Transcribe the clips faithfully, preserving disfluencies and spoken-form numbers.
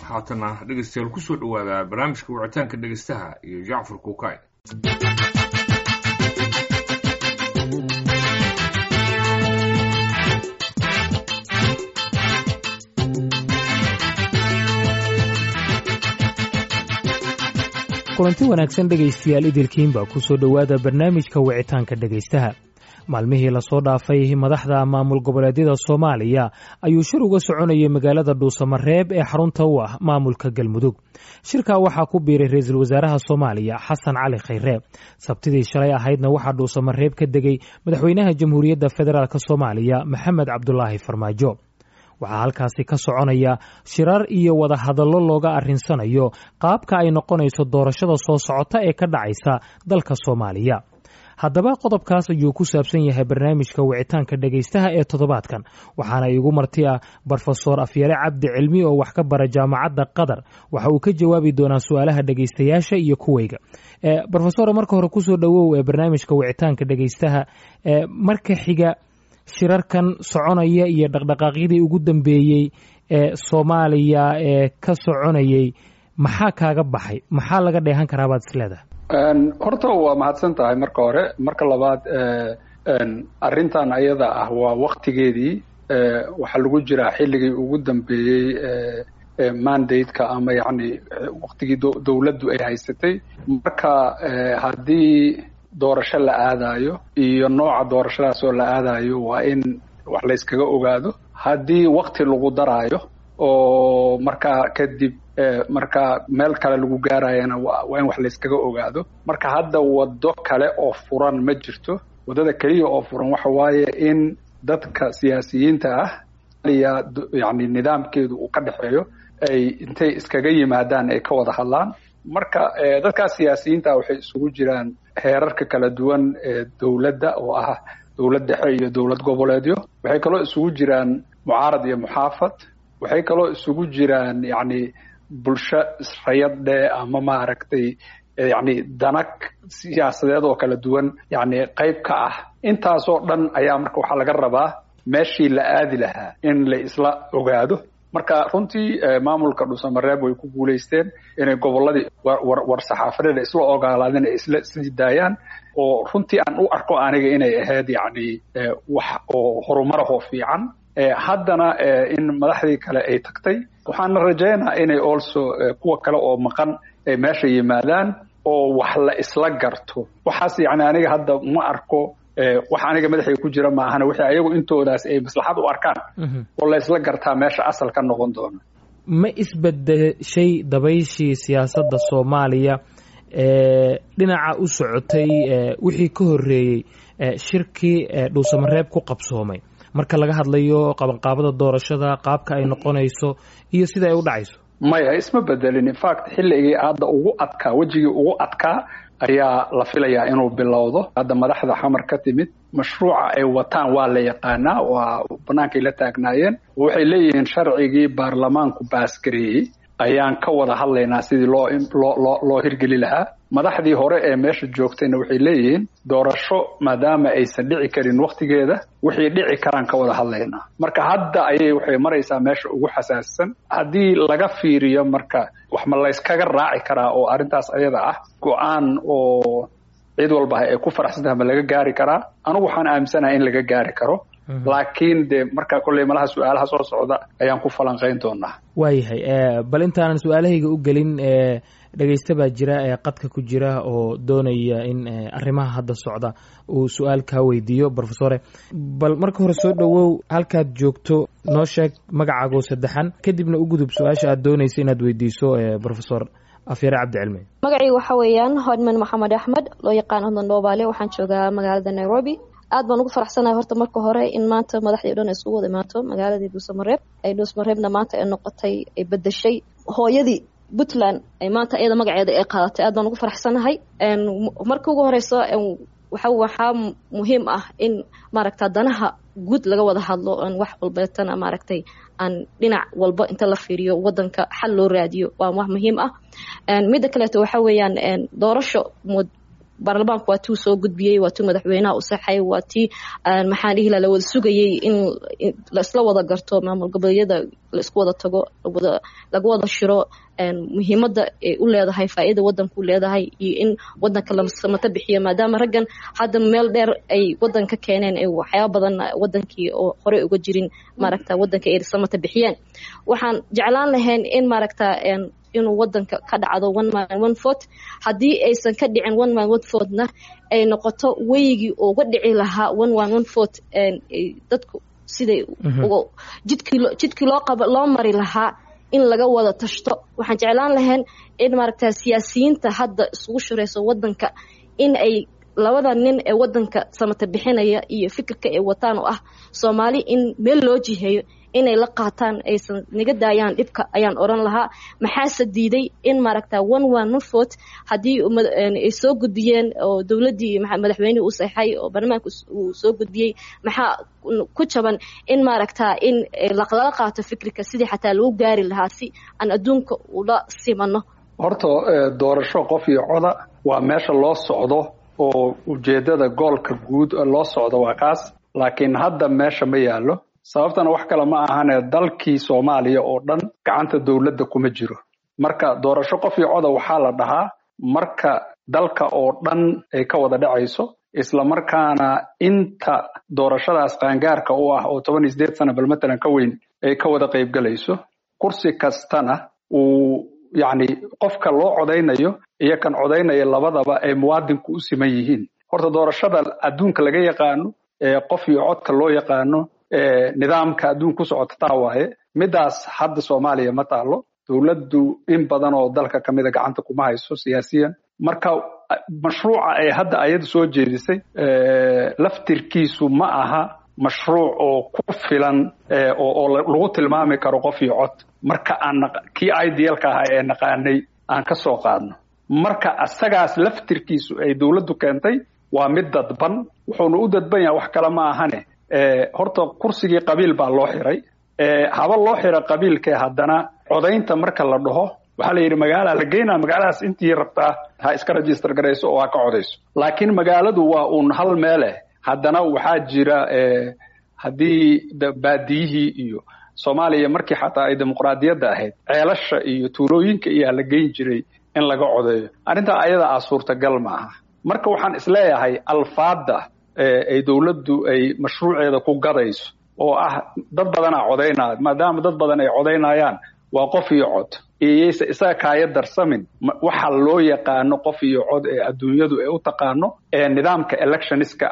Haatana dhegeystayaal, kusoo dhowaada barnaamijka wicitaanka dhegeystaha iyo Jacfar Kuukay. Kulanti wanaagsan dhegaystayaal idilkiinba, kusoo dhowaada barnaamijka wicitaanka dhegaystaha. Maalmihii lasoo dhaafay madaxda maamul goboleedyada Soomaaliya ayuu shir uga soconayay magaalada Dhuusamareeb ee xarunta u ah maamulka Galmudug. Shirkaa waxaa ku biiray ra-iisul wasaaraha Soomaaliya Xasan Cali Khayre. Sabtidii shalay ahaydna waxaa Dhuusamareeb ka degay madaxweynaha Jamhuuriyadda Federaalk Soomaaliya Maxamed Cabdulaahi Farmaajo. Waxaa halkaasi ka soconaya shirar iyo wadahadallo looga arrinsanayo qaabka ay noqonayso doorashada soo socota ee ka dhacaysa dalka Soomaaliya. Haddaba qodobkaas ayuu ku saabsan yahay barnaamijka wicitaanka dhegaystaha ee toddobaadkan, waxaana iigu marti ah Brofesor Afyare Cabdi Cilmi oo wax ka bara Jaamacadda Qatar. Waxa uu ka jawaabi doonaa su-aalaha dhegaystayaasha iyo kuwayga. Brofesor, marka hore kusoo dhowow ee barnaamijka wicitaanka dhegaystaha. Marka xiga, shirarkan soconaya iyo dhaqdhaqaaqyadii ugu dambeeyey ee Soomaaliya ee ka soconayay, maxaa kaaga baxay? Maxaa laga dheehan karaa baad isleedahay? Horta waa mahadsan tahay marka hore. Marka labaad, arrintan ayada ah waa waktigeedii. Waxaa lagu jiraa xilligii ugu dambeeyey mandate-ka ama yacni waktigii dowladdu ay haysatay. Marka haddii doorasho la aadayo iyo nooca doorashadaas oo la aadayo, waa in wax layskaga ogaado. Haddii wakti lagu daraayo oo markaa kadib marka meel kale lagu gaarayana, waa in wax layskaga ogaado. Marka hadda waddo kale oo furan ma jirto. Waddada keliya oo furan waxa waaye in dadka siyaasiyiinta ah yani nidaamkeedu uu ka dhexeeyo ay intay iskaga yimaadaan ay ka wada hadlaan. Marka dadkaas siyaasiyiinta ah waxay isugu jiraan heerarka kala duwan ee dowladda oo ah dowlad dhexe iyo dowlad goboleedyo. Waxay kaloo isugu jiraan mucaarad iyo muxaafad. Waxay kaloo isugu jiraan yacni bulsho israyad dheh ama maaragtay yacni danag siyaasadeed oo kala duwan yacni qayb ka ah. Intaasoo dhan ayaa marka waxaa laga rabaa meeshii la aadi lahaa in la isla ogaado. Marka runtii maamulka Dhuusamareeb way ku guulaysteen inay gobolladii war saxaafadeeda isla ogolaadeen, ay isla sii daayaan, oo runtii aan u arko aniga inay ahayd yacni wax oo horumarahoo fiican. Haddana in madaxdii kale ay tagtay, waxaana rajaynaa inay also kuwa kale oo maqan ay meesha yimaadaan oo wax la isla garto. Waxaas yacni aniga hadda ma arko, wax aniga madaxay ku jira maahana, wixii ayagu intoodaas ay maslaxad u arkaan oo la isla gartaa meesha asal ka noqon doona. Ma isbedeshay dabayshii siyaasadda Soomaaliya ee dhinaca u socotay wixii ka horreeyey shirkii Dhuusamareeb ku qabsoomay, marka laga hadlayo qabanqaabada doorashada, qaabka ay noqonayso iyo sida ay u dhacayso? Maya, isma bedelin. In fact, xilligii hadda ugu adkaa, wejigii ugu adkaa ayaa la filayaa inuu bilowdo. Hadda madaxda Xamar ka timid mashruuca ay wataan waa la yaqaanaa, waa bannaankay la taagnaayeen. Waxay leeyihiin sharcigii baarlamaanku baasgareeyey ayaan ka wada hadlaynaa sidii loo loo loo loo hirgeli lahaa. Madaxdii hore ee meesha joogtayna waxay leeyihiin doorasho maadaama aysan dhici karin waktigeeda, wixii dhici karaan ka wada hadlaynaa. Marka hadda ayay waxay maraysaa meesha ugu xasaasisan haddii laga fiiriyo. Marka wax ma layskaga raaci karaa oo arrintaas ayada ah go-aan oo cid walba ay ku faraxsan tahay ma laga gaari karaa? Anigu waxaan aaminsanahay in laga gaari karo, laakiin dee marka kolley malaha su-aalaha soo socda ayaan ku falanqayn doonaa. Waayahay, bal intaanan su-aalahayga u gelin, dhegeysta baa jira ee qadka ku jira oo doonaya in arrimaha hadda socda uu su-aal kaa weydiiyo. Brofesore, bal marka hore soo dhowow, halkaad joogto noo sheeg, magacaagoo saddexan, kadibna u gudub su-aasha aad doonaysa inaad weydiiso Brofesor Afyare Cabdi Cilmi. Magacayga waxa weeyaan Hodman Maxamed Axmed, loo yaqaan Hodman Dhobaale. Waxaan joogaa magaalada Nairobi. Aad baan ugu faraxsanahay horta marka hore in maanta madaxdii o dhan ay isugu wada imaato magaaladii Dhuusamareeb, ay Dhuusamareebna maanta ay noqotay, ay bedeshay hooyadii Puntland, ay maanta iyada magaceeda ay qaadatay. Aad baan ugu faraxsanahay. Marka ugu horeyso, waxa waxaa muhiim ah in maaragta danaha guud laga wada hadlo, on wax walbeetana maaragtay aan dhinac walba inta la fiiriyo wadanka xal loo raadiyo, waa wax muhiim ah. Midda kaleeto waxa weeyaan doorasho Baarlamaanku waa tuu soo gudbiyey, waa tuu madaxweynaha u saxay, waa tii, maxaan dhihi lahaa, la wada sugayey in la isla wada garto maamul goboleedyada, la isku wada tago, laga wada shiro muhiimadda ay u leedahay, faa'iida wadanku leedahay iyo in wadanka la samata bixiyo, maadaama raggan hadda meel dheer ay wadanka keeneen, ay waxyaaba badan wadankii oo horey uga jirin, maaragta, wadanka ay samata bixiyeen. Waxaan jeclaan lahayn in, maaragta, inuu wadanka ka dhacdo one man one vote. Haddii aysan ka dhicin one man one vote-na, ay noqoto weygii uga dhici lahaa one one one vote, dadku siday jidkii jidkii loo qaba loo mari lahaa in laga wada tashto. Waxaan jeclaan lahayn in, maaragta, siyaasiyiinta hadda isugu shirayso wadanka in ay labada nin ee wadanka samata bixinaya iyo fikirka ay wataan oo ah Soomaali in meel loo jiheeyo inay la qaataan, aysan naga daayaan dhibka ayaan oran lahaa. Maxaase diiday in, maaragta, one one one vote haddii ay soo gudbiyeen oo dowladdii madaxweynihii u saxay oo baarlamaanka uu soo gudbiyey, maxaa ku jaban in, maaragta, in lala qaato fikirka sidii xataa lagu gaari lahaa si aan adduunka ula simano? Horta doorasho qof iyo coda waa meesha loo socdo, oo ujeeddada goolka guud loo socdo waa kaas, laakiin hadda meesha ma yaallo. Sababtana wax kale ma ahane, dalkii Soomaaliya oo dhan gacanta dowladda kuma jiro. Marka doorasho qof iyo coda waxaa la dhahaa marka dalka oo dhan ay ka wada dhacayso, isla markaana inta doorashadaas qaangaarka u ah oo toban iyo sideed sana bal matalan ka weyn ay ka wada qaybgalayso, kursi kastana uu yacni qofka loo codaynayo iyo kan codaynaya labadaba ay muwaadinku u siman yihiin. Horta doorashada adduunka laga yaqaano ee qof iyo codka loo yaqaano, nidaamka adduunka ku socota taa waaye. Midaas hadda Soomaaliya ma taalo, dowladdu in badan oo dalka kamida gacanta kuma hayso siyaasiyan. Marka mashruuca ay hadda ayadu soo jeedisay laftirkiisu ma aha mashruuc oo ku filan oo lagu tilmaami karo qof iyo cod. Marka aan kii idealka ahaa ee naqaanay aan ka soo qaadno, marka asagaas laftirkiisu ay dowladdu keentay waa mid dadban. Wuxuuna u dadban yahay wax kale ma ahane, horta kursigii qabiil baa loo xiray. Haba loo xira qabiilkee, haddana codaynta marka la dhaho waxaa la yidhi magaalaa la geynaa, magaaladaas intii rabtaa ha iska register garayso oo ha ka codayso, laakiin magaaladu waa uun hal meeleh. Haddana waxaa jira haddii baadiyihii iyo Soomaaliya markii xataa ay dimuqraadiyadda ahayd ceelasha iyo tuulooyinka iyaa la geyn jiray in laga codeeyo. Arrintaa ayada ah suurtagal ma aha. Marka waxaan isleeyahay alfaadda ay dowladdu ay mashruuceeda ku gadayso oo ah dad badanaa codaynaya, maadaama dad badan ay codaynayaan waa qof iyo cod, iyayse isaga kaaya darsamin waxa loo yaqaano qof iyo cod ee adduunyadu ay u taqaano ee nidaamka electionska,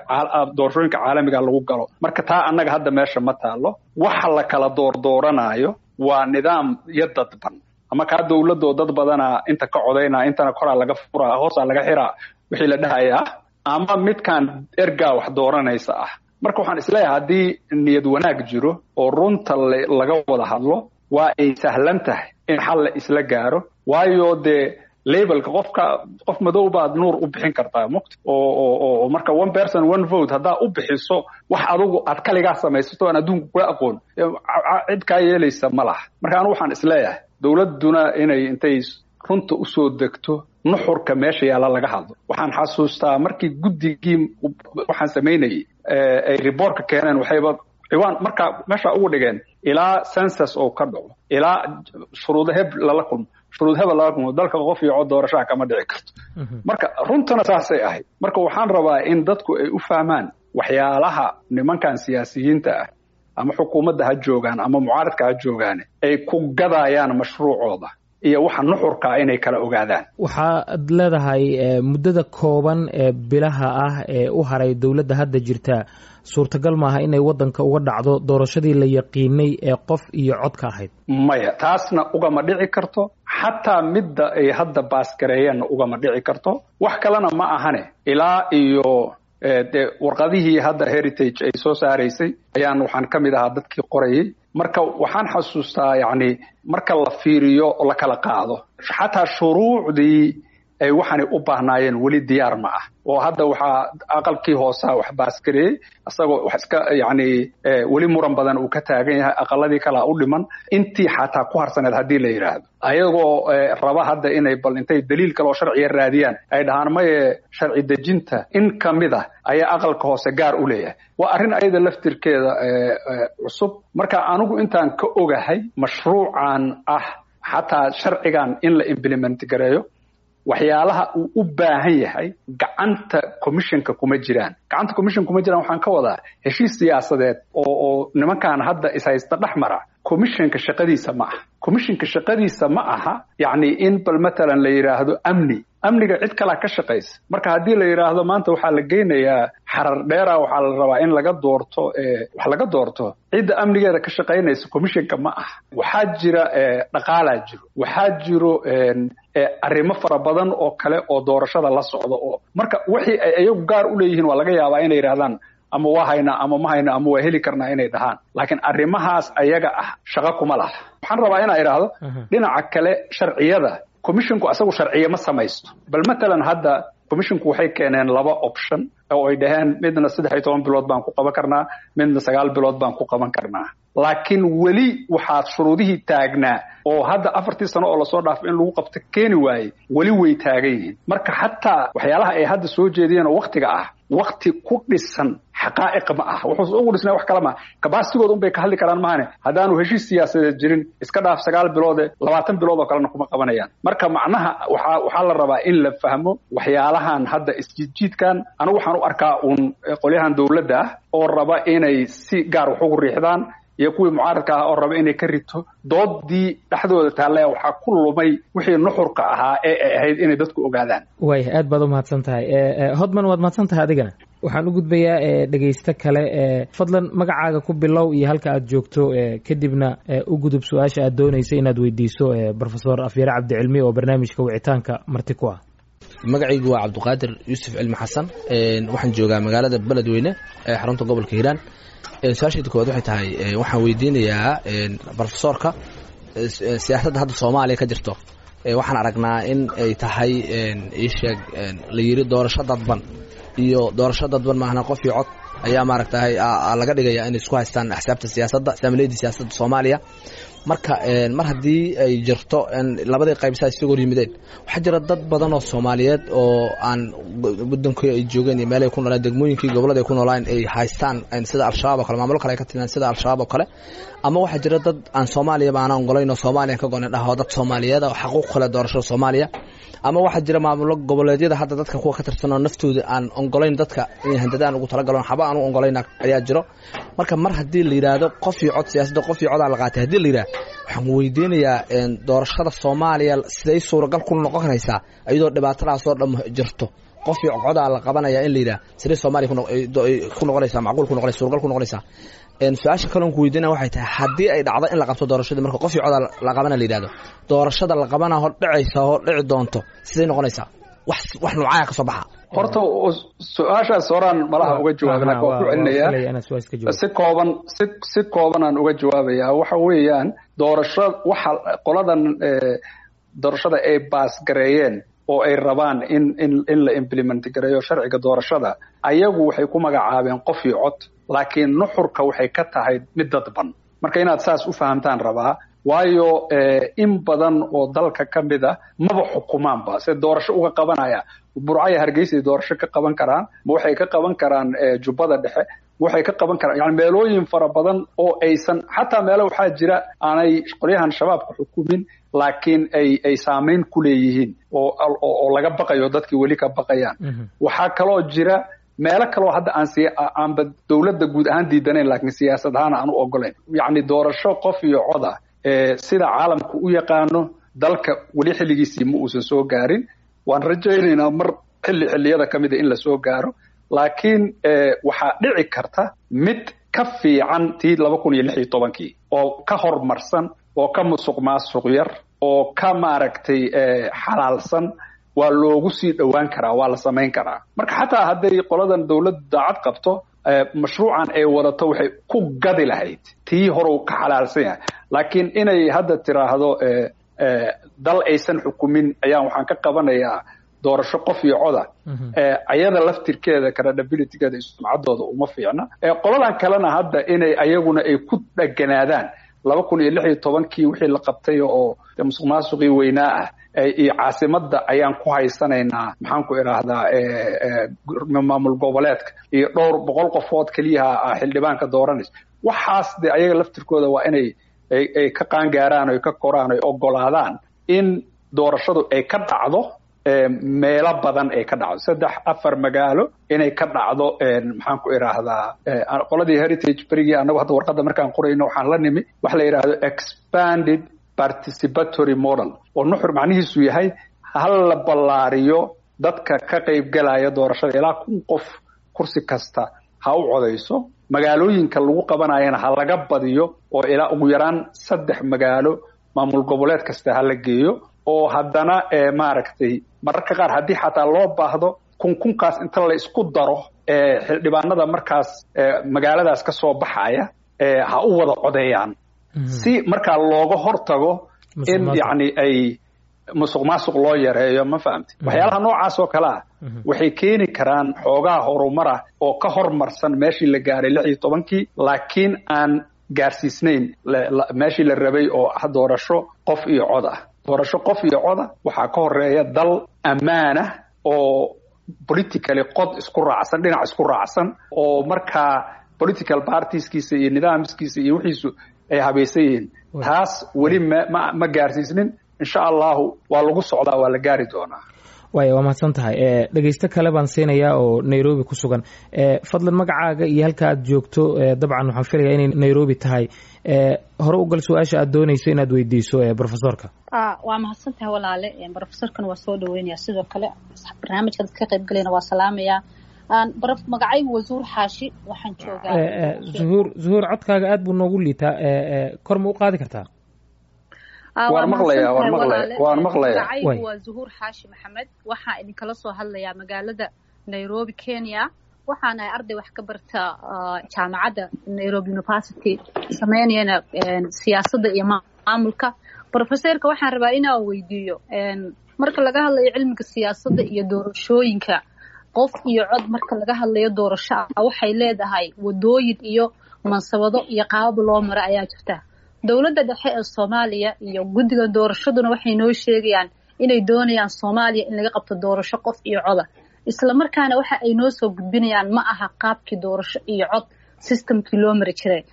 doorashooyinka caalamiga lagu galo. Marka taa annaga hadda meesha ma taalo. Waxa la kala doordooranaayo waa nidaam iyo dadban ama kaa dowladoo dad badanaa inta ka codaynaa, intana koraa laga furaa, hoosaa laga xiraa wixii la dhahayaa, ama midkan ergaa wax dooranaysa ah. Marka waxaan isleeyahay haddii niyad wanaag jiro oo runta laga wada hadlo, waa ay sahlan tahay in xal la isla gaaro, waayo dee labelka qofka qof madow baad Nuur u bixin kartaa mugta oo oo oo marka one person one vote haddaa u bixiso wax adugu aad kaligaa samaysato aan adduunku kula aqoon, cid kaa yeelaysa ma laha. Marka anu waxaan isleeyahay dowladduna inay intay runta usoo degto, nuxurka meesha yaalla laga hadlo. Waxaan xasuustaa markii guddigii waxaan samaynayay ay reportka keeneen, waxayba ciwaan markaa meesha ugu dhigeen ilaa census oo ka dhaco, ilaa shuruudo heb lala kulmo, shuruud hebel lala kulmo, dalka qof iyo cod doorashaha kama dhici karto. Marka runtana saasay ahayd. Marka waxaan rabaa in dadku ay u fahmaan waxyaalaha nimankan siyaasiyiinta ah, ama xukuumadda ha joogaan ama mucaaradka ha joogaan, ay ku gadayaan mashruucooda iyo waxa nuxurkaa inay kala ogaadaan. Waxaad leedahay muddada kooban ee bilaha ah ee u haray dowladda hadda jirta suurtagal maaha inay waddanka uga dhacdo doorashadii la yaqiinay ee qof iyo codka ahayd. Maya, taasna ugama dhici karto, xataa midda ay hadda baasgareeyeenna ugama dhici karto. Wax kalena ma ahane, ilaa iyo dee warqadihii hadda Heritage ay soo saaraysay ayaan waxaan ka mid ahaa dadkii qorayay. Marka waxaan xasuustaa yacni marka la fiiriyo oo la kala qaado xataa shuruucdii Ay waxaanay u baahnaayeen weli diyaar ma ah, oo hadda waxaa aqalkii hoosaa wax baasgareeyey isagoo wax iska yacni weli muran badan uu ka taagan yahay. Aqaladii kalaa u dhiman intii xataa ku harsaneed haddii la yidhaahdo, ayagoo raba hadda inay bal intay daliil kale oo sharciya raadiyaan ay dhahaan maye, sharci dejinta in ka mid ah ayaa aqalka hoose gaar u leeyahay. Waa arrin ayada laftirkeeda cusub. Marka anigu intaan ka ogahay mashruucan ah, xataa sharcigan in la implement gareeyo, waxyaalaha uu u baahan yahay gacanta commissionka kuma jiraan. Gacanta commission kuma jiraan waxaan ka wadaa heshiis siyaasadeed oo oo nimankan hadda ishaysta dhex mara. Commissionka shaqadiisa ma aha, commissionka shaqadiisa ma aha yacni in bal matalan la yidhaahdo amni, amniga cid kalaa ka shaqaysa. Marka haddii la yidhaahdo maanta waxaa la geynayaa Xarar Dheera, waxaa la rabaa in laga doorto, wax laga doorto, cidda amnigeeda ka shaqaynaysa commissionka ma aha. Waxaa jira dhaqaalaa jiro, waxaa jiro arrimo fara badan oo kale oo doorashada la socda, oo marka wixii ay iyagu gaar u leeyihiin waa laga yaabaa inay yidhahdaan ama waa haynaa ama ma hayna ama waa heli karnaa inay dhahaan, laakiin arrimahaas ayaga ah shaqo kuma laha. Waxaan rabaa inaa idhaahdo dhinaca kale, sharciyada commissionku asagu sharciye ma samaysto. Bal matalan hadda commissionku waxay keeneen laba option oo ay dhaheen midna saddex iyo toban bilood baan ku qaban karnaa, midna sagaal bilood baan ku qaban karnaa, laakiin weli waxaa shuruudihii taagnaa oo hadda afartii sano oo lasoo dhaafay in lagu qabto keeni waayey weli way taagan yihiin. Marka xataa waxyaalaha ay hadda soo jeediyeen oo waktiga ah, wakti ku dhisan xaqaa'iq ma ah. Wuxuu ugu dhisnay wax kale ma kabaasigood un bay ka hadli karaan mahane. Haddaanu heshiis siyaasadeed jirin, iska dhaaf sagaal biloode, labaatan bilood oo kalena kuma qabanayaan. Marka macnaha waxaa waxaa la rabaa in la fahmo waxyaalahan hadda isjiidjiidkan. Anigu waxaan u arkaa uun qolyahan dowladda ah oo raba inay si gaar wax ugu riixdaan iyo kuwii mucaaradka ah oo raba inay ka rito doodii dhexdooda taallaya. Waxaa ku lumay wixii nuxurka ahaa ee ay ahayd inay dadku ogaadaan. Waaya, aad baad u mahadsan tahay Hodman, waad mahadsan tahay adigana. Waxaan u gudbayaa dhegeysto kale. Fadlan magacaaga ku bilow iyo halka aad joogto, kadibna u gudub su-aasha aad doonaysa inaad weydiiso Profesor Afyare Cabdicilmi oo barnaamijka wicitaanka marti ku ah. Magacaygu waa Cabdiqaadir Yuusuf Cilmi Xasan, waxaan joogaa magaalada Beledweyne ee xarunta gobolka Hiiraan. Su-aashayda koowaad waxay tahay, waxaan weydiinayaa profesorka siyaasadda hadda Soomaaliya ka jirto. Waxaan aragnaa in ay tahay iisheeg la yiri doorasho dadban iyo doorasho dadban maahna qof iyo cod ayaa maaragtahay laga dhigaya inay isku haystaan axsaabta siyaasadda, saamileydii siyaasadda Soomaaliya. Marka mar haddii ay jirto labadii qaybsaa isugu hor yimideen, waxaa jira dad badan oo Soomaaliyeed oo aan wadankii ay joogeen iyo meelay ku noolaan, degmooyinkii gobollada ay ku noolaan ay haystaan, sida Al-Shabaab oo kale, maamulo kale ay ka timidaan sida Al-Shabaab oo kale, ama waxaa jira dad aan Soomaaliya ba aanan ogolayn oo Soomaaliya ka go'nayn dhaho dad Soomaaliyeed oo xaquuq kale doorashada Soomaaliya, ama waxaa jira maamulo goboleedyada hadda dadka kuwa ka tirsan oo naftooda aan ogolayn dadka inay handadaan ugu talagaloon xaba aan u ogolayn ayaa jiro. Marka mar haddii la yidhaahdo qof iyo cod, siyaasadda qof iyo codaa la qaatay haddii la yidhahdo, waxaan weydiinayaa doorashada Soomaaliya siday suuragal ku noqon karaysaa iyadoo dhibaatadaas oo dham jirto? Qof iyo codaa la qabanaya in la yidhaha siday Soomaaliya ku noqonaysaa macquul ku noqonaysa, suuragal ku noqonaysaa? Su-aasha kaloon ku weydiinaya waxay tahay, haddii ay dhacdo in la qabto doorashadii, marka qof iyo codaa la qabana la yidhahdo, doorashada la qabana hor dhacaysa hor dhici doonto siday noqonaysaa? Wax wax noocaya ka soo baxa? Horta su-aashaas horaan malaha uga jawaabay, laakiin waan ku celinayaa si kooban, si si kooban aan uga jawaabayaa. Waxa weeyaan doorasho waxa qoladan doorashada ay baas gareeyeen oo ay rabaan in in in la implement gareeyo sharciga doorashada, ayagu waxay ku magacaabeen qof iyo cod, laakiin nuxurka waxay ka tahay mid dadban. Marka inaad saas u fahamtaan rabaa, waayo in badan oo dalka ka mid a maba xukumaanba se doorasho uga qabanaya. Burcaya Hargeysa doorasho ka qaban karaan ma waxay ka qaban karaan Jubbada Dhexe, waxay ka qaban karaan yani meelooyin fara badan oo aysan xataa meelo waxaa jira aanay qolyahan Shabaabka xukumin, laakiin ay ay saameyn ku leeyihiin oo oo laga baqayo, dadkii weli ka baqayaan. Waxaa kaloo jira meelo kaloo hadda aan si aanba dowladda guud ahaan diidanayn, laakiin siyaasad ahaan aan u ogolayn. Yacni doorasho qof iyo coda sida caalamku u yaqaano dalka weli xilligiisii ma uusan soo gaarin. Waan rajaynaynaa mar xilli xilliyada ka mida in la soo gaaro, laakiin waxaa dhici karta mid ka fiican tii laba kun iyo lix iyo tobankii oo ka horumarsan oo ka musuq maasuq yar oo ka maaragtay xalaalsan waa loogu sii dhowaan karaa, waa la samayn karaa. Marka xataa hadday qoladan dowladdu daacad qabto, mashruucan ay wadato waxay ku gadi lahayd tii horow ka xalaalsan yahay. Laakiin inay hadda tiraahdo dal aysan xukumin ayaan waxaan ka qabanayaa Doorasho qof iyo coda ayada laftirkeeda credibilitygeeda iyo sumcaddooda uma fiicna. Qoladan kalena hadda inay ayaguna ay ku dheganaadaan laba kun iyo lix iyo tobankii wixii la qabtay oo musuq maasuqii weynaa ah iyo caasimadda ayaan ku haysanaynaa, maxaan ku idhaahdaa, maamul goboleedka iyo dhowr boqol qofood keliyaha xildhibaanka dooranaysa, waxaas de ayaga laftirkooda waa inay ay ka qaangaaraan, oy ka koraan, oy ogolaadaan in doorashadu ay ka dhacdo meelo badan, ay ka dhacdo saddex afar magaalo inay ka dhacdo. Maxaan ku idhaahdaa, qoladii Heritage berigii annagu hadda warqadda markaan qorayno waxaan la nimi waxa la yidhaahdo expanded participatory model, oo nuxur macnihiisu yahay hal la ballaariyo dadka ka qaybgalaya doorashada, ilaa kun qof kursi kasta ha u codayso, magaalooyinka lagu qabanayana ha laga badiyo oo ilaa ugu yaraan saddex magaalo maamul goboleed kasta ha la geeyo, oo haddana maaragtay mararka qaar haddii xataa loo baahdo kun kunkaas inta la isku daro xildhibaanada markaas magaaladaas ka soo baxaya ha u wada codeeyaan, si markaa looga hortago in yacni ay musuq maasuq loo yareeyo. Ma fahamti? Waxyaalaha noocaas oo kale ah waxay keeni karaan xoogaa horumar ah oo ka hormarsan meeshii la gaaray lix iyo tobankii, laakiin aan gaarsiisnayn meeshii la rabay oo ah doorasho qof iyo cod ah. Doorasho qof iyo coda waxaa ka horeeya dal ammaanah oo politically qod isku raacsan, dhinac isku raacsan, oo markaa political partieskiisa iyo nidaamskiisa iyo wixiisu ay habaysan yihiin. Taas weli ma ma ma gaarsiisnin. Insha Allahu waa lagu socdaa, waa la gaari doonaa. Waaya, waa mahadsan tahay. Dhegeysto kale baan siinayaa oo Nairobi ku sugan. Fadlan magacaaga iyo halka aad joogto. Dabcan waxaan filayaa inay Nairobi tahay. Hore u gal su-aasha aad dooneyso inaad weydiiso profesorka. Waa mahadsan tahay walaale. Profesorkana waa soo dhaweynaya, sidoo kale barnaamijka dadka ka qayb galayna waa salaamaya. Magacaygu waa Zuhur Xaashi, waxaan joogaa Zuhuur, Zuhuur, codkaaga aad buu noogu liitaa, kor ma u qaadi kartaa? Waan maqlayaa, waan maqlaya, waan maqlaya. Magacaygu waa Zuhuur Xaashi Maxamed, waxaan idinkala soo hadlayaa magaalada Nairobi, Kenya. Waxaan ahay arday wax ka barta jaamacadda Nairobi University, sameynayana siyaasadda iyo maamulka. Professorka waxaan rabaa inaan weydiiyo, marka laga hadlayo cilmiga siyaasadda iyo doorashooyinka qof iyo cod, marka laga hadlayo doorasho ah, waxay leedahay wadooyin iyo mansabado iyo qaabab loo maro ayaa jirta. Dowladda dhexe ee Soomaaliya iyo guddiga doorashaduna waxay noo sheegayaan inay doonayaan Soomaaliya in laga qabto doorasho qof iyo coda, isla markaana waxa ay noo soo gudbinayaan ma aha qaabkii doorasho iyo cod systemkii loo mari jiray.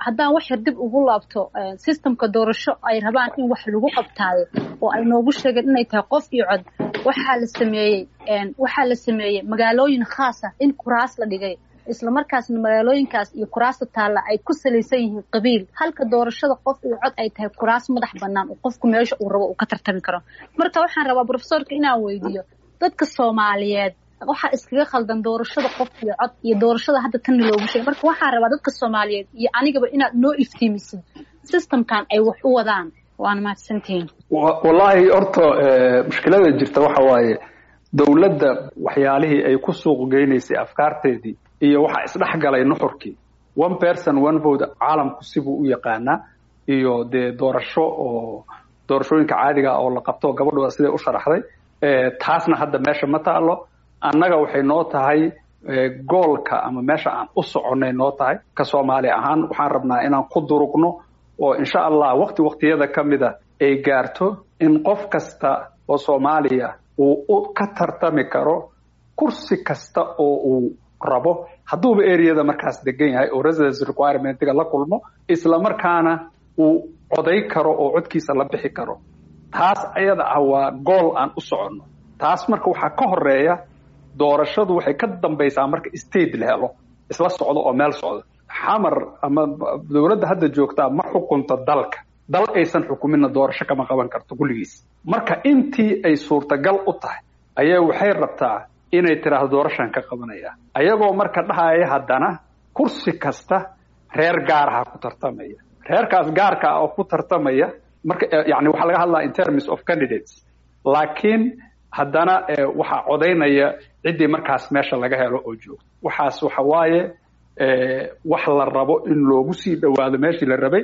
Haddaan wax yar dib ugu laabto, systemka doorasho ay rabaan in wax lagu qabtaayo oo ay noogu sheegeen inay tahay qof iyo cod, waxaa la sameeyey waxaa la sameeyey magaalooyin khaas ah in kuraas la dhigay, isla markaasna magaalooyinkaas iyo kuraasta taalla ay ku salaysan yihiin qabiil, halka doorashada qof iyo cod ay tahay kuraas madax bannaan oo qofku meesha uu rabo uu ka tartami karo. Marka waxaan rabaa professorka inaan weydiiyo, dadka Soomaaliyeed waxaa iskaga khaldan doorashada qof iyo cod iyo doorashada hadda tanna loogu sheegay. Marka waxaan rabaa dadka Soomaaliyeed iyo anigaba inaad noo iftiimisid systemkan ay wax u wadaan. Waana mahadsantihiin. Wallaahi horta mushkilada jirta waxa waaye dowladda waxyaalihii ay ku suuq geynaysay afkaarteedii iyo waxaa isdhex galay nuxurkii. One person one vote caalamku sibuu u yaqaanaa, iyo dee doorasho oo doorashooyinka caadiga oo la qabto gabadhooda siday u sharaxday, taasna hadda meesha ma taalo. Annaga waxay noo tahay goolka ama meesha aan u soconnay noo tahay ka Soomaali ahaan. Waxaan rabnaa inaan ku durugno oo insha Allah waqti waqtiyada ka mida ay gaarto in qof kasta oo Soomaaliya uu ka tartami karo kursi kasta oo uu rabo, hadduuba areada markaas degan yahay oo residence requirementiga la kulmo, isla markaana uu coday karo oo codkiisa la bixi karo. Taas ayada ah waa gool aan u soconno. Taas marka waxaa ka horeeya doorashadu, waxay ka dambaysaa marka state la helo isla socdo oo meel socdo. Xamar ama dowladda hadda joogtaa ma xukunto dalka. Dal aysan xukuminna doorasho kama qaban karto kulligiis. Marka intii ay suurtagal u tahay ayaa waxay rabtaa inay tiraahdo doorashaan ka qabanaya, ayagoo marka dhahaya haddana kursi kasta reer gaaraha ku tartamaya, reerkaas gaarka ah oo ku tartamaya. Marka yani waxaa laga hadlaa in terms of candidates, laakiin haddana waxaa codaynaya ciddii markaas meesha laga helo oo joogto. Waxaas waxa waaye wax la rabo in loogu sii dhowaado meeshii la rabay,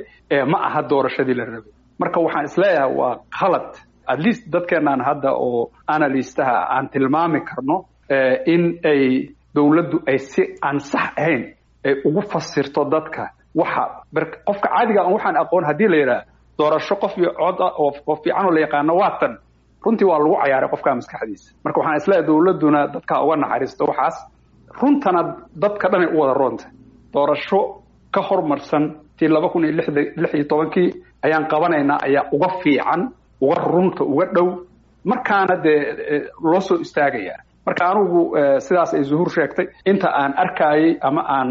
ma aha doorashadii la rabay. Marka waxaan isleeyahay waa khalad. At least dadkeenaan hadda oo analystaha aan tilmaami karno in ay dowladdu ay si aan sax ahayn ay ugu fasirto dadka. Waxa qofka caadiga aan waxaan aqoon haddii la yidhaah doorasho qof iyo cod ah oo fiican oo la yaqaano waa tan, runtii waa lagu cayaaray qofka maskaxdiisa. Marka waxaan isleeyahay dowladduna dadka uga naxariisto waxaas, runtana dadka dhanay u wada roonta. Doorasho ka hormarsan tii laba kun iyo lix iyo tobankii ayaan qabanaynaa ayaa uga fiican, uga runta, uga dhow, markaana dee loo soo istaagayaa. Marka anigu sidaas ay Zuhur sheegtay, inta aan arkaayay ama aan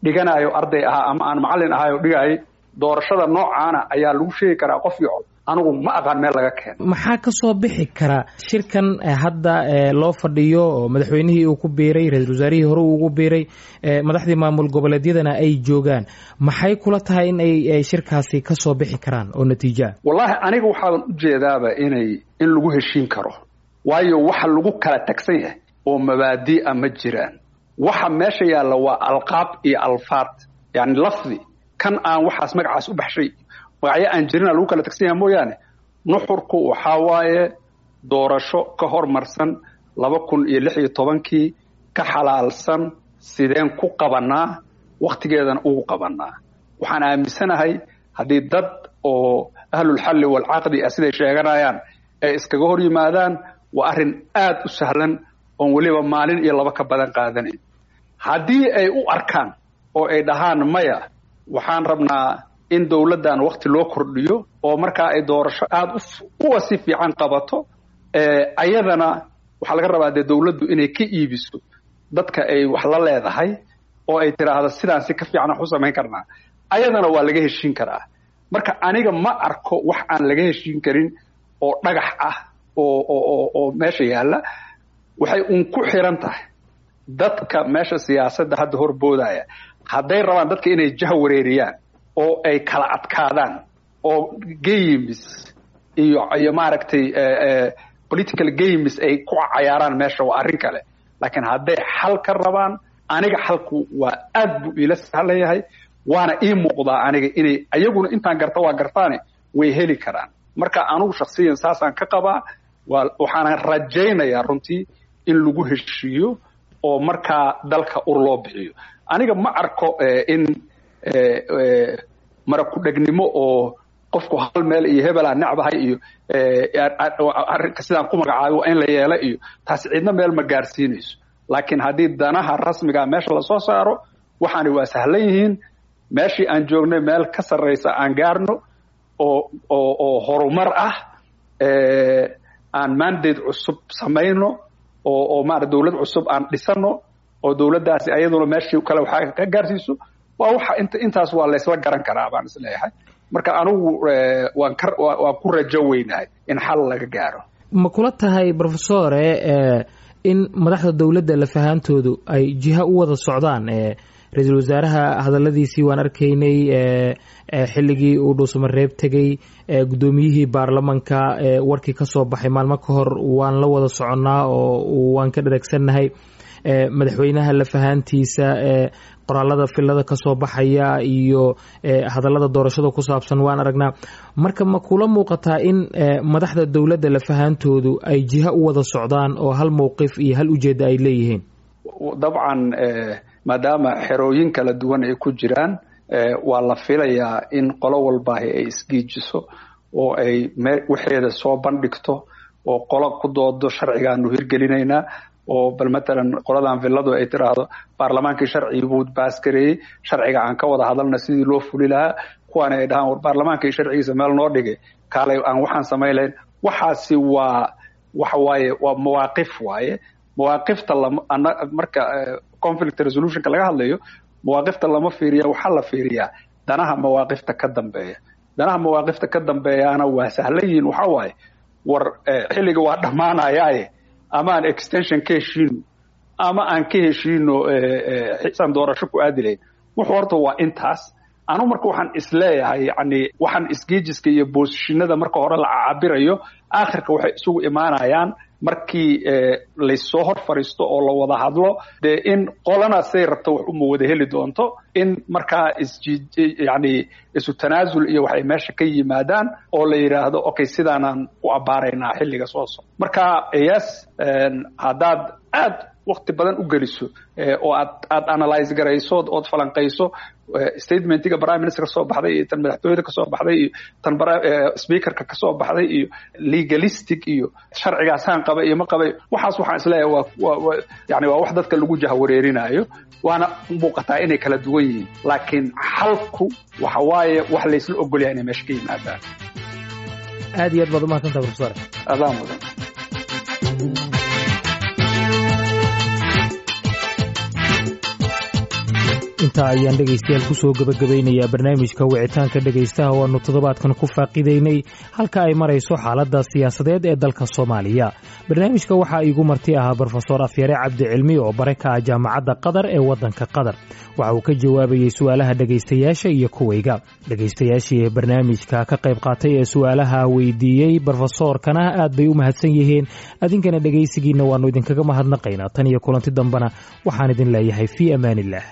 dhiganayo arday ahaa ama aan macallin ahaay oo dhigaayay, doorashada noocaana ayaa lagu sheegi karaa qof iyo cod. Anigu ma aqaan meel laga keeno. Maxaa ka soo bixi kara shirkan hadda loo fadhiyo oo madaxweynihii uu ku biiray, ra-iisul wasaarihii hore uu ugu biiray, madaxdii maamul goboleedyadana ay joogaan? Maxay kula tahay in ay shirkaasi ka soo bixi karaan oo natiijoa? Wallaahi aniga waxaaban u jeedaaba inay in lagu heshiin karo, waayo waxa lagu kala tagsan yahay oo mabaadi'a ma jiraan. Waxa meesha yaalla waa alqaab iyo alfaad, yani lafdi kan aan waxaas magacaas u baxshay, magacyo aan jirina lagu kala tagsan yahay mooyaane. Nuxurku waxaa waaye doorasho ka hormarsan laba kun iyo lix iyo tobankii, ka xalaalsan, sideen ku qabanaa, wakhtigeedana ugu qabanaa. Waxaan aaminsanahay haddii dad oo ahlulxalli walcaqdi ah siday sheeganayaan ay iskaga hor yimaadaan, waa arrin aad u sahlan oon weliba maalin iyo laba ka badan qaadanayn. Haddii ay u arkaan oo ay dhahaan maya, waxaan rabnaa in dowladdan wakti loo kordhiyo oo markaa ay doorasho aada uwa si fiican qabato, ayadana waxaa laga rabaa dee dowladdu inay ka iibiso dadka ay wax la leedahay oo ay tiraahdo sidaan si ka fiican wax u samayn karnaa, ayadana waa laga heshiin karaa. Marka aniga ma arko wax aan laga heshiin karin oo dhagax ah oo oo oo meesha yaalla. Waxay uun ku xiran tahay dadka meesha siyaasadda hadda horboodaya, hadday rabaan dadka inay jah wareeriyaan oo ay kala adkaadaan oo games iyo iyo maaragtay political games ay ku cayaaraan meesha, waa arrin kale. Laakiin hadday xal ka rabaan, aniga xalku waa aad buu iila sahlan yahay, waana ii muuqdaa aniga inay ayaguna intaan garta waa gartaane way heli karaan. Marka anugu shaksiyan saasaan ka qabaa, waxaana rajaynayaa runtii in lagu heshiiyo oo markaa dalka ur loo bixiyo. Aniga ma arko in mara ku-dhegnimo oo qofku hal meel iyo hebelaa necbahay iyo arrinka sidaan ku magacaabay waa in la yeelo iyo taas, cidna meel ma gaarsiinayso. Laakiin haddii danaha rasmigaa meesha lasoo saaro, waxaani waa sahlan yihiin. Meeshii aan joognay meel ka sarraysa aan gaarno oo oo oo horumar ah, aan mandate cusub samayno oo oo maarata dowlad cusub aan dhisano oo dowladdaasi ayaduna meeshii kale waxaa ka gaarsiiso. Waa waxa inta intaas waa laysla garan karaa baan isleeyahay. Marka anigu waan ka waan ku rajo weynahay in xal laga gaaro. Ma kula tahay, professore, in madaxda dowladda lafahaantoodu ay jiha u wada socdaan? Ra-iisul wasaaraha hadaladiisii waan arkaynay xilligii uu Dhuusamareeb tegey, guddoomiyihii baarlamanka warkii ka soo baxay maalmo ka hor waan la wada soconnaa oo waan ka dheragsannahay, madaxweynaha lafahaantiisa qoraalada filada ka soo baxaya iyo hadallada doorashada ku saabsan waan aragnaa. Marka ma kula muuqataa in madaxda dowladda lafahaantoodu ay jiha u wada socdaan oo hal mowqif iyo hal ujeedda ay leeyihiin? Dabcan, maadaama xerooyin kala duwan ay ku jiraan, waa la filayaa in qolo walbaahi ay isgiijiso oo ay waxeeda soo bandhigto oo qolo ku doodo sharcigaanu hirgelinaynaa, oo bal matalan qoladan villadu ay tiraahdo baarlamaankii sharcigi buu baaskareeyey, sharciga aan ka wada hadalna sidii loo fuli lahaa, kuwaana ay dhahaan war baarlamaankii sharcigiisa meel noo dhigay, kaalay aan waxaan samayn lahayn. Waxaasi waa waxa waaye waa mawaaqif waaye. Mawaaqifta lama marka conflict resolutionka laga hadlayo, mawaaqifta lama fiiriya, waxaa la fiiriyaa danaha mawaaqifta ka dambeeya. Danaha mawaaqifta ka dambeeyaana waa sahlan yihiin. Waxaa waaye war xilliga waa dhammaanayaaye, ama aan extension ka heshiino ama aan ka heshiino xisaan doorasho ku aadi lahayn. Wuxuu horta waa intaas. Anu marka waxaan isleeyahay, yani waxaan isgeejiska iyo boosishinada marka hore la cabirayo, aakhirka waxay isugu imaanayaan Markii laysoo hor fariisto oo la wada hadlo, dee in qolana say rabto wax uma wada heli doonto, in markaa isji yani isu tanaasul iyo waxay meesha ka yimaadaan oo la yidhaahdo, okay, sidaanaan u abbaaraynaa xilliga soo socda. Marka yes, haddaad aad wakti badan u geliso oo aad aad analyze garayso ood falanqayso statementiga prime minister kasoo baxday iyo tan madaxtooyada kasoo baxday iyo tan speakerka kasoo baxday iyo legalistic iyo sharcigaasaan qaba iyo ma qabay, waxaas waxaan isleeyahay waa waa yani waa wax dadka lagu jahwareerinayo, waana muuqataa inay kala duwan yihiin, laakiin xalku waxa waaye wax laysla ogolyahay inay meesha ka yimaadaan. Aad iyo aad baad umahadsantaha, professor. Adaa mudan. Intaa ayaan dhegaystayaal kusoo gebagabaynayaa barnaamijka wicitaanka dhegaystaha oo aanu toddobaadkan ku faaqidaynay halka ay marayso xaaladda siyaasadeed ee dalka Soomaaliya. Barnaamijka waxaa iigu marti ahaa Brofesor Afyare Cabdi Cilmi oo bare ka ah Jaamacadda Qatar ee waddanka Qatar. Waxa uu ka jawaabayey su'aalaha dhegaystayaasha iyo kuwayga. Dhegaystayaashii ee barnaamijka ka qayb qaatay ee su'aalaha weydiiyey brofesoorkana aad bay u mahadsan yihiin. Adinkana dhegaysigiinna waannu idinkaga mahadnaqaynaa. Tan iyo kulanti dambena waxaan idin leeyahay fii amaaniillah.